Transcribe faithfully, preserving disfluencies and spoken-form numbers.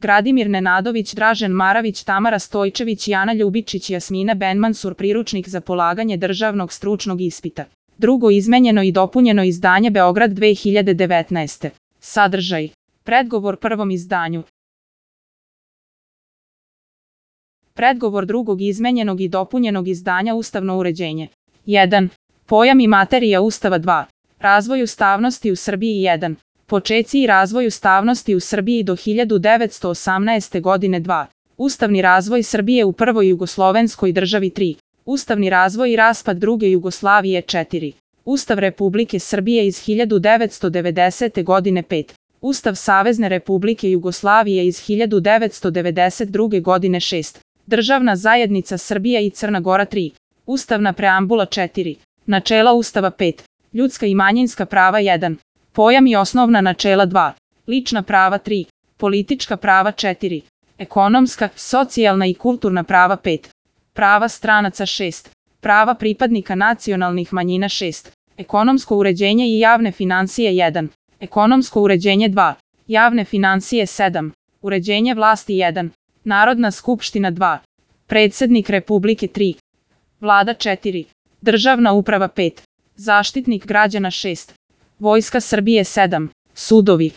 Gradimir Nenadović, Dražen Maravić, Tamara Stojčević, Jana Ljubičić, Jasmina Benmansur. Priručnik za polaganje državnog stručnog ispita. Drugo izmenjeno i dopunjeno izdanje, Beograd dve hiljade devetnaeste. Sadržaj. Predgovor prvom izdanju. Predgovor drugog izmenjenog i dopunjenog izdanja, Ustavno uređenje. jedan. Pojam i materija Ustava. dva. Razvoj ustavnosti u Srbiji. jedan. Počeci i razvoj ustavnosti u Srbiji do hiljadu devetsto osamnaeste. godine. dva. Ustavni razvoj Srbije u prvoj jugoslovenskoj državi. tri. Ustavni razvoj i raspad druge Jugoslavije. četiri. Ustav Republike Srbije iz hiljadu devetsto devedesete. godine. pet. Ustav Savezne Republike Jugoslavije iz hiljadu devetsto devedeset druge. godine. šest. Državna zajednica Srbija i Crna Gora. tri. Ustavna preambula. četiri. Načela Ustava. pet. Ljudska i manjinska prava. jedan. Pojam i osnovna načela. dva. Lična prava. tri. Politička prava. četiri. Ekonomska, socijalna i kulturna prava. pet. Prava stranaca. šest. Prava pripadnika nacionalnih manjina. šest. Ekonomsko uređenje i javne finansije. jedan. Ekonomsko uređenje. dva. Javne finansije. sedam. Uređenje vlasti. jedan. Narodna skupština. dva. Predsednik Republike. tri. Vlada. četiri. Državna uprava. pet. Zaštitnik građana. šest. Vojska Srbije. sedam. Sudovi.